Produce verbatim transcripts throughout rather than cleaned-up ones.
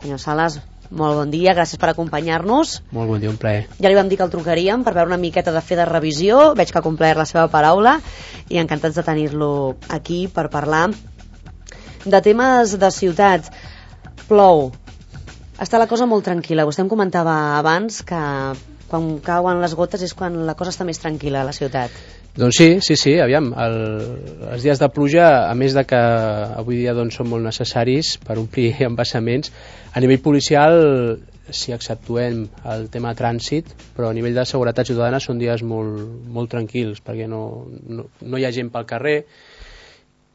Senyor Sales, molt bon dia, gràcies per acompanyar-nos. Molt bon dia, un plaer. Ja li vam dir que el trucaríem per veure una miqueta de fer de revisió, veig que ha complert la seva paraula i encantats de tenir-lo aquí per parlar de temes de ciutat. Plou, està la cosa molt tranquil·la. Vostè em comentava abans que quan cauen les gotes és quan la cosa està més tranquil·la a la ciutat. Doncs sí, sí, sí, aviam, el, els dies de pluja, a més de que avui dia doncs, són molt necessaris per omplir embassaments, a nivell policial, si exceptuem el tema de trànsit, però a nivell de seguretat ciutadana són dies molt, molt tranquils, perquè no, no, no hi ha gent pel carrer,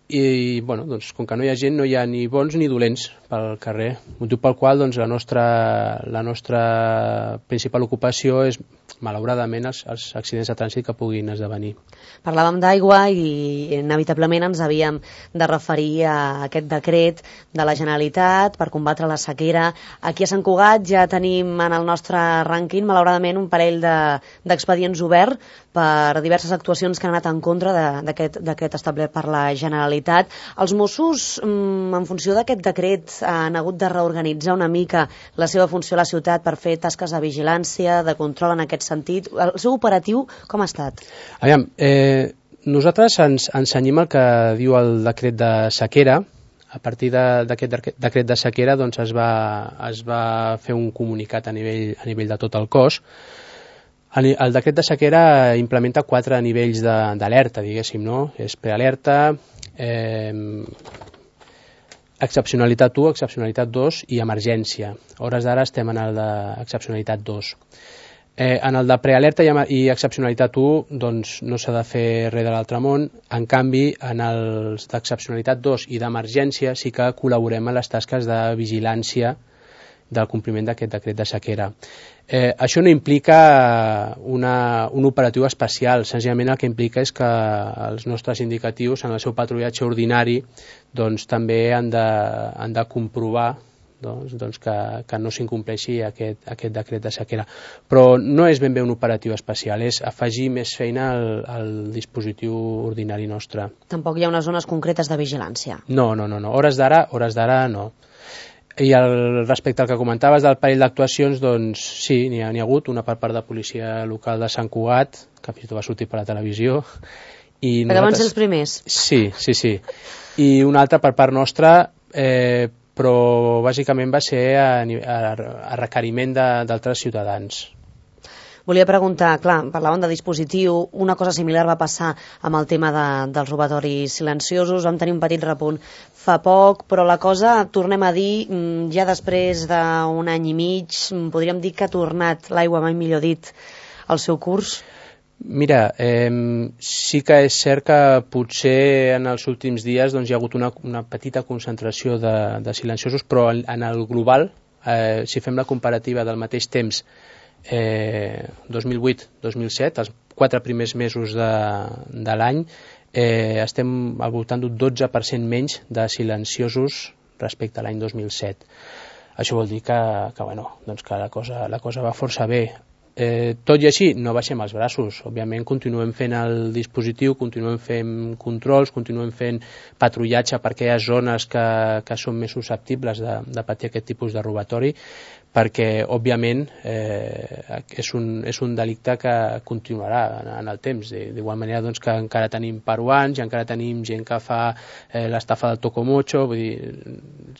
i bueno, doncs, com que no hi ha gent no hi ha ni bons ni dolents pel carrer, motiu pel qual doncs, la, nostra, la nostra principal ocupació és malauradament els, els accidents de trànsit que puguin esdevenir. Parlàvem d'aigua i inevitablement ens havíem de referir a aquest decret de la Generalitat per combatre la sequera. Aquí a Sant Cugat ja tenim en el nostre rànquing malauradament un parell d'expedients de, oberts per diverses actuacions que han anat en contra d'aquest decret establert per la Generalitat. Els Mossos, en funció d'aquest decret, han hagut de reorganitzar una mica la seva funció a la ciutat per fer tasques de vigilància, de control en aquest sentit. El seu operatiu com ha estat? Aviam, eh, nosaltres ens, ens cenyim el que diu el decret de sequera. A partir d'aquest de, decret de sequera doncs, es, va, es va fer un comunicat a nivell, a nivell de tot el cos. El, el decret de sequera implementa quatre nivells d'alerta, diguéssim, no? És prealerta, eh, excepcionalitat u, excepcionalitat dos i emergència. A hores d'ara estem en el d'excepcionalitat dos. Eh, en el de prealerta i, i excepcionalitat u doncs, no s'ha de fer res de l'altre món. En canvi, en els d'excepcionalitat dos i d'emergència sí que col·laborem en les tasques de vigilància del compliment d'aquest decret de sequera. Eh, això no implica una, un operatiu especial, senzillament el que implica és que els nostres indicatius en el seu patrullatge ordinari doncs, també han de, han de comprovar doncs, doncs que, que no s'incompleixi aquest, aquest decret de sequera. Però no és ben bé un operatiu especial, és afegir més feina al, al dispositiu ordinari nostre. Tampoc hi ha unes zones concretes de vigilància? No, no, no, no. Hores d'ara, hores d'ara no. I el, respecte al que comentaves del parell d'actuacions, doncs sí, n'hi ha, n'hi ha hagut una per part de policia local de Sant Cugat, que fins i tot va sortir per la televisió. I Perquè van ser els primers? Sí, sí, sí. I una altra per part nostra, eh, però bàsicament va ser a, a, a requeriment d'altres ciutadans. Volia preguntar, clar, parlàvem de dispositiu, una cosa similar va passar amb el tema de, dels robatoris silenciosos, vam tenir un petit repunt fa poc, però la cosa, tornem a dir, ja després d'un any i mig, podríem dir que ha tornat l'aigua, mai millor dit, al seu curs? Mira, eh, sí que és cert que potser en els últims dies doncs, hi ha hagut una, una petita concentració de, de silenciosos, però en, en el global, eh, si fem la comparativa del mateix temps, Eh, dos mil vuit dos mil set, els quatre primers mesos de, de l'any, eh, estem al voltant d'un dotze per cent menys de silenciosos respecte a l'any dos mil set. Això vol dir que, que, bueno, doncs que la, cosa, la cosa va força bé. Eh, tot i així, no baixem els braços. Òbviament continuem fent el dispositiu, continuem fent controls, continuem fent patrullatge per aquelles zones que, que són més susceptibles de, de patir aquest tipus de robatori, perquè, òbviament, eh, és, un, és un delicte que continuarà en, en el temps. D'igual manera doncs, que encara tenim peruans i encara tenim gent que fa eh, l'estafa del tocomocho, vull dir,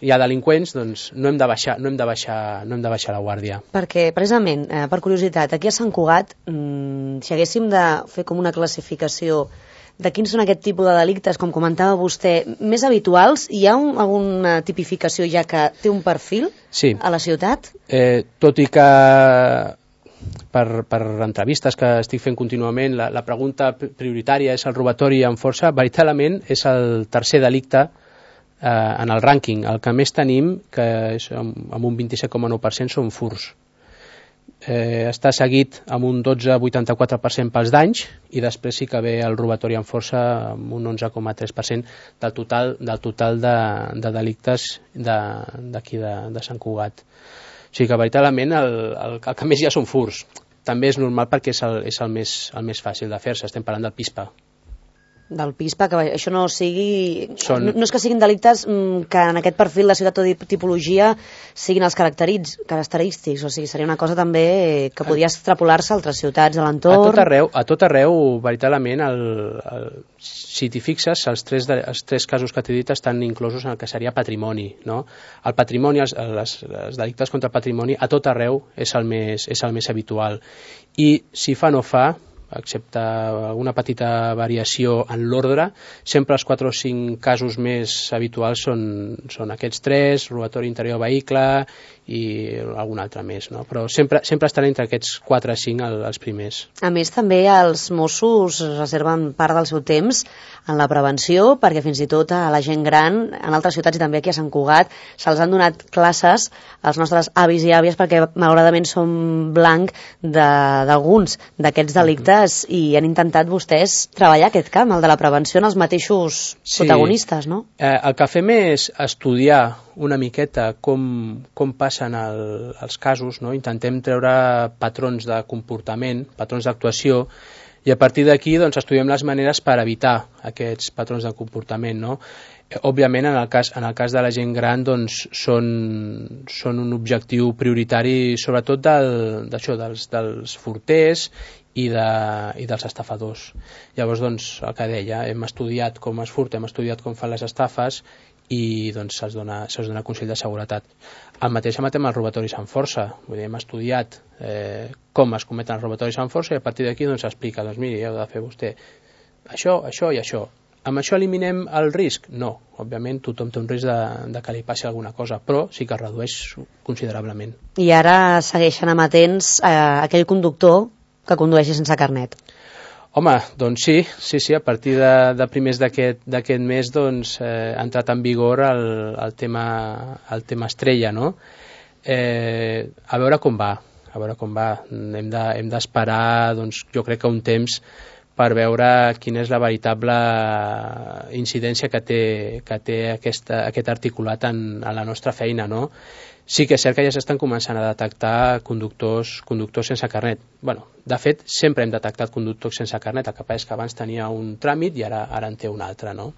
hi ha delinqüents, doncs no hem de baixar, no hem de baixar, no hem de baixar la guàrdia. Perquè, precisament, eh, per curiositat, aquí a Sant Cugat, mmm, si haguéssim de fer com una classificació de quins són aquest tipus de delictes, com comentava vostè, més habituals, hi ha un, alguna tipificació ja que té un perfil sí. a la ciutat? Eh, tot i que per, per entrevistes que estic fent contínuament, la, la pregunta prioritària és el robatori amb força, veritablement és el tercer delicte eh, en el rànquing. El que més tenim, que és amb, amb un vint-i-set coma nou per cent, són furs. Eh, està seguit amb un dotze coma vuitanta-quatre per cent pels danys i després sí que ve el robatori amb força amb un onze coma tres per cent del total, del total de, de delictes d'aquí de, de, de Sant Cugat. O sigui que veritablement el, el, el que més hi ha són furs. També és normal perquè és el, és el, més, el més fàcil de fer-se, estem parlant del pispa. del pis, perquè això no sigui... Són... No, no és que siguin delictes que en aquest perfil de ciutat o de tipologia siguin els característics, o sigui, seria una cosa també que podria extrapolar-se a altres ciutats, a l'entorn... A tot arreu, a tot arreu veritablement, el, el, si t'hi fixes, els tres, de, els tres casos que t'he dit estan inclosos en el que seria patrimoni, no? El patrimoni, els, les, els delictes contra el patrimoni, a tot arreu és el més, és el més habitual. I si fa no fa, excepte alguna petita variació en l'ordre, sempre els quatre o cinc casos més habituals són, són aquests tres, robatori interior de vehicle i algun altre més, no? Però sempre, sempre estan entre aquests quatre o cinc els primers. A més, també els Mossos reserven part del seu temps en la prevenció, perquè fins i tot a la gent gran, en altres ciutats i també aquí a Sant Cugat, se'ls han donat classes als nostres avis i àvies perquè malauradament som blanc d'alguns d'aquests delictes i han intentat vostès treballar aquest camp, el de la prevenció en els mateixos sí. protagonistes, no? Eh, el que fem és estudiar una miqueta com, com passen el, els casos, no? Intentem treure patrons de comportament, patrons d'actuació, i a partir d'aquí doncs, estudiem les maneres per evitar aquests patrons de comportament, no? Òbviament, en el cas, en el cas de la gent gran, doncs, són, són un objectiu prioritari, sobretot del, d'això, dels, dels forters i, de, i dels estafadors. Llavors, doncs, el que deia, hem estudiat com es furta, hem estudiat com fan les estafes i doncs, se'ls dona, se'ls dona consell de seguretat. El mateix amatem els robatoris amb força. Vull dir, hem estudiat eh, com es cometen els robatoris amb força i a partir d'aquí doncs, s'explica, doncs miri, heu de fer vostè això, això i això. Amb això eliminem el risc? No. Òbviament tothom té un risc de, de que li passi alguna cosa, però sí que es redueix considerablement. I ara segueixen amatents a aquell conductor que condueixi sense carnet. Home, doncs sí, sí, sí, a partir de, de primers d'aquest mes doncs, eh, ha entrat en vigor el, el, tema, el tema estrella, no? Eh, a veure com va, a veure com va. Hem de, hem d'esperar, doncs, jo crec que un temps per veure quina és la veritable incidència que té, que té aquesta, aquest articulat en, en la nostra feina, no? Sí que és cert que ja s'estan començant a detectar conductors, conductors sense carnet. Bueno, de fet, sempre hem detectat conductors sense carnet, el que passa és que abans tenia un tràmit i ara, ara en té un altre, no?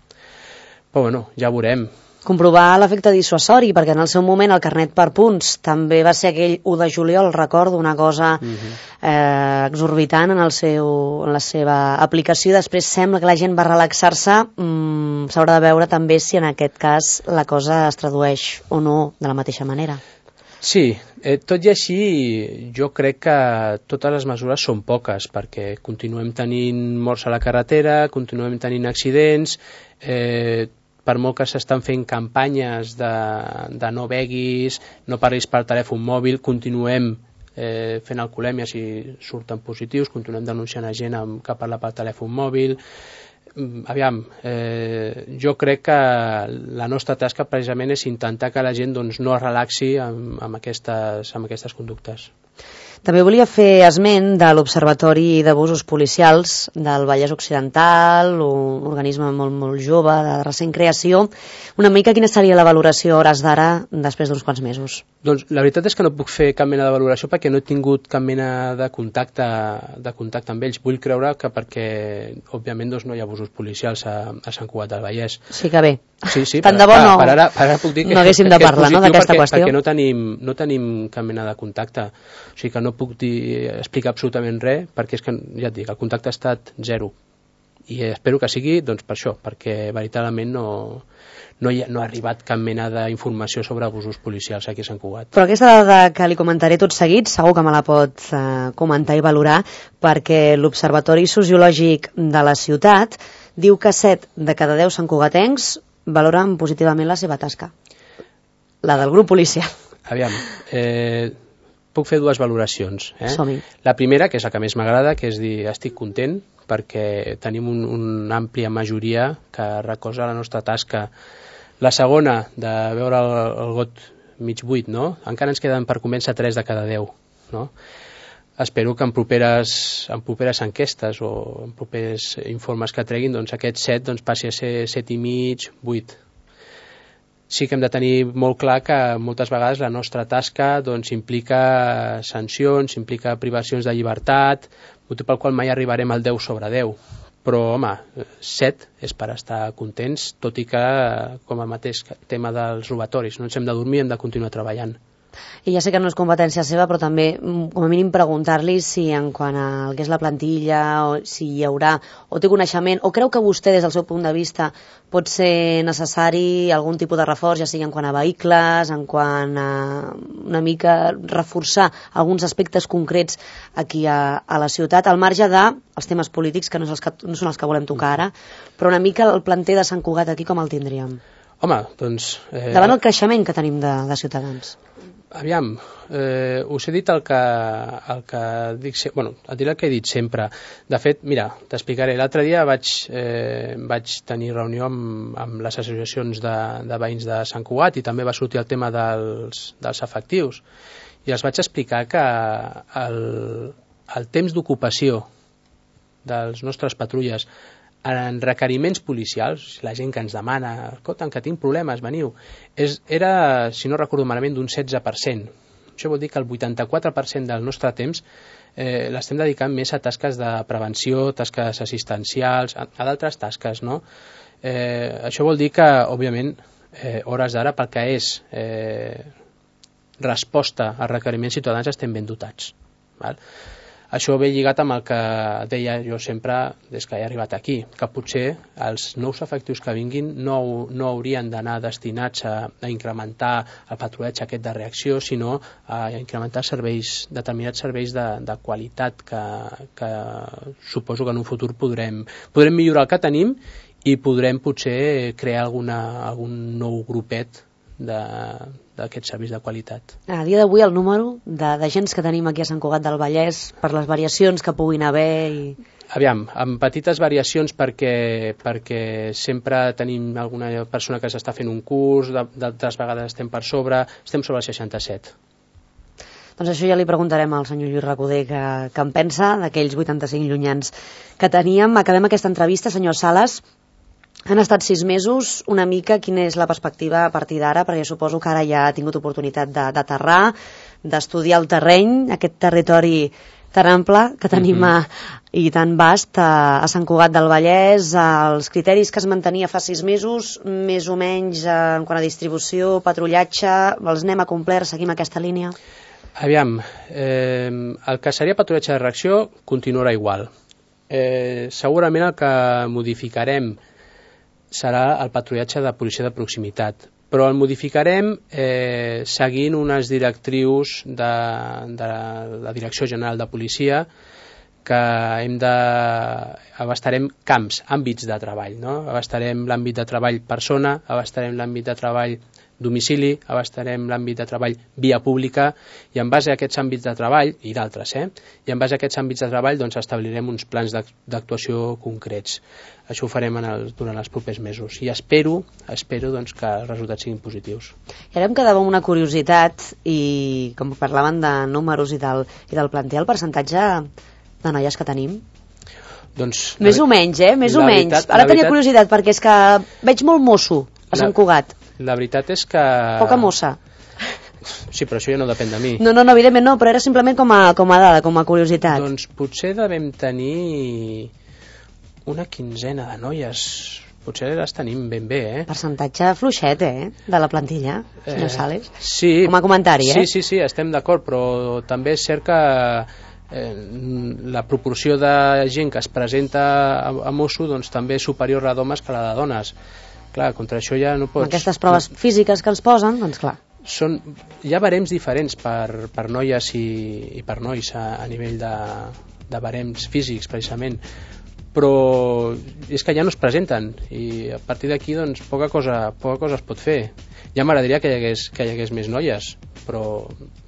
Però bueno, ja veurem. Comprovar l'efecte dissuasori, perquè en el seu moment el carnet per punts també va ser aquell u de juliol, recordo, una cosa uh-huh. eh, exorbitant en, el seu, en la seva aplicació. Després sembla que la gent va relaxar-se. Mm, s'haurà de veure també si en aquest cas la cosa es tradueix o no de la mateixa manera. Sí, eh, tot i així jo crec que totes les mesures són poques, perquè continuem tenint morts a la carretera, continuem tenint accidents, eh, per molt que s'estan fent campanyes de, de no beguis, no parlis per telèfon mòbil, continuem eh, fent alcoholèmia si surten positius, continuem denunciant a gent amb, que parla per telèfon mòbil. Aviam, eh, jo crec que la nostra tasca precisament és intentar que la gent doncs, no es relaxi amb, amb, aquestes, amb aquestes conductes. També volia fer esment de l'Observatori d'Abusos Policials del Vallès Occidental, un organisme molt, molt jove, de recent creació. Una mica quina seria la valoració a hores d'ara després d'uns quants mesos? Doncs la veritat és que no puc fer cap mena de valoració perquè no he tingut cap mena de contacte, de contacte amb ells. Vull creure que perquè, òbviament, doncs, no hi ha abusos policials a, a Sant Cugat del Vallès. Sí que bé. Sí, sí, tant per, de bo no, per, ara, per ara puc dir que, no haguéssim de parlar, no, d'aquesta perquè, qüestió. Perquè no tenim, no tenim cap mena de contacte. O sigui que no puc dir, explicar absolutament res perquè és que, ja et dic, el contacte ha estat zero. I espero que sigui doncs, per això, perquè veritablement no, no, hi ha, no ha arribat cap mena d'informació sobre abusos policials aquí a Sant Cugat. Però aquesta dada que li comentaré tot seguit segur que me la pot eh, comentar i valorar, perquè l'Observatori Sociològic de la ciutat diu que set de cada deu santcugatencs valoren positivament la seva tasca, la del grup policial. Aviam, eh, puc fer dues valoracions. Eh? Som-hi. La primera, que és la que més m'agrada, que és dir, estic content perquè tenim un, una àmplia majoria que recolza la nostra tasca. La segona, de veure el, el got mig buit, no? Encara ens queden per convèncer tres de cada deu, no? Espero que en properes, en properes enquestes o en propers informes que treguin, doncs aquest set doncs, passi a ser set i mig, vuit. Sí que hem de tenir molt clar que moltes vegades la nostra tasca doncs, implica sancions, implica privacions de llibertat, motiu pel qual mai arribarem al deu sobre deu. però, home, set és per estar contents, tot i que, com el mateix tema dels robatoris, no ens hem de dormir, hem de continuar treballant. I ja sé que no és competència seva, però també, com a mínim, preguntar-li si en quant al que és la plantilla, o si hi haurà, o té coneixement, o creu que vostè, des del seu punt de vista, pot ser necessari algun tipus de reforç, ja sigui en quant a vehicles, en quant a una mica reforçar alguns aspectes concrets aquí a, a la ciutat, al marge dels temes polítics, que no, és els que no són els que volem tocar ara, però una mica el planter de Sant Cugat aquí com el tindríem? Home, doncs... Eh... Davant el creixement que tenim de, de ciutadans. Aviam, eh, us he dit el que, el que dic, bueno, et diré el que he dit sempre. De fet, mira, t'explicaré. L'altre dia vaig, eh, vaig tenir reunió amb, amb les associacions de, de veïns de Sant Cugat i també va sortir el tema dels, dels efectius. I els vaig explicar que el, el temps d'ocupació dels nostres patrulles en requeriments policials, la gent que ens demana, escolta, que tinc problemes, veniu, és, era, si no recordo malament, d'un setze per cent. Això vol dir que el vuitanta-quatre per cent del nostre temps eh, l'estem dedicant més a tasques de prevenció, tasques assistencials, a, a d'altres tasques, no? Eh, això vol dir que, òbviament, eh, hores d'ara, pel que és eh, resposta a requeriments ciutadans, estem ben dotats. Val? Això ve lligat amb el que deia jo sempre des que he arribat aquí, que potser els nous efectius que vinguin no, no haurien d'anar destinats a, a incrementar el patrullatge aquest de reacció, sinó a incrementar serveis, determinats serveis de, de qualitat que, que suposo que en un futur podrem, podrem millorar el que tenim i podrem potser crear alguna, algun nou grupet d'aquests serveis de qualitat. A dia d'avui el número d'agents que tenim aquí a Sant Cugat del Vallès, per les variacions que puguin haver... I... Aviam, amb petites variacions perquè, perquè sempre tenim alguna persona que s'està fent un curs, d'altres vegades estem per sobre, estem sobre el seixanta-set. Doncs això ja li preguntarem al senyor Lluís Recoder que, que en pensa d'aquells vuitanta-cinc llunyans que teníem. Acabem aquesta entrevista, senyor Sales. Han estat sis mesos, una mica, quina és la perspectiva a partir d'ara, perquè suposo que ara ja ha tingut oportunitat d'aterrar, d'estudiar el terreny, aquest territori tan ample que tenim mm-hmm. a, i tan vast a, a Sant Cugat del Vallès, els criteris que es mantenia fa sis mesos, més o menys en quant a distribució, patrullatge, els anem a complir, seguim aquesta línia? Aviam, eh, el que seria patrullatge de reacció continuarà igual. Eh, segurament el que modificarem serà el patrullatge de policia de proximitat, però el modificarem eh, seguint unes directrius de, de la Direcció General de Policia que hem de... abastarem camps, àmbits de treball, no? Abastarem l'àmbit de treball persona, abastarem l'àmbit de treball domicili, abastarem l'àmbit de treball via pública i en base a aquests àmbits de treball, i d'altres, eh? i en base a aquests àmbits de treball doncs, establirem uns plans d'actuació concrets. Això ho farem en el, durant els propers mesos i espero, espero doncs, que els resultats siguin positius. I ara em quedava una curiositat i com parlaven de números i del, i del planter, el percentatge de noies que tenim? Doncs, més o menys, eh? Més o menys. Veritat, ara tenia veritat... curiositat perquè és que veig molt mosso a Sant Cugat. La veritat és que... Poca mossa. Sí, però això ja no depèn de mi. No, no, no, evidentment no, però era simplement com a, com a dada, com a curiositat. Doncs potser devem tenir una quinzena de noies. Potser les tenim ben bé, eh? Percentatge fluixet, eh? De la plantilla, senyor eh, Sales. Sí. Com a comentari, eh? Sí, sí, sí, estem d'acord, però també és cert que eh, la proporció de gent que es presenta a, a mosso doncs, també és superior a d'homes que la de dones. Clar, contra això ja no pots... Aquestes proves físiques que ens posen, doncs clar. Són, hi ha barems diferents per, per noies i, i per nois a, a nivell de, de barems físics, precisament, però és que ja no es presenten i a partir d'aquí doncs, poca cosa, poca cosa es pot fer. Ja m'agradaria que, hi hagués, que hi hagués més noies, però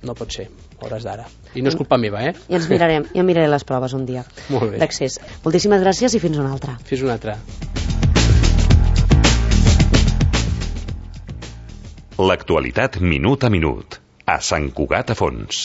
no pot ser, hores d'ara. I no és culpa meva, eh? I ens mirarem, ja miraré les proves un dia d'accés. Moltíssimes gràcies i fins una altra. Fins una altra. L'actualitat minut a minut, a Sant Cugat a Fons.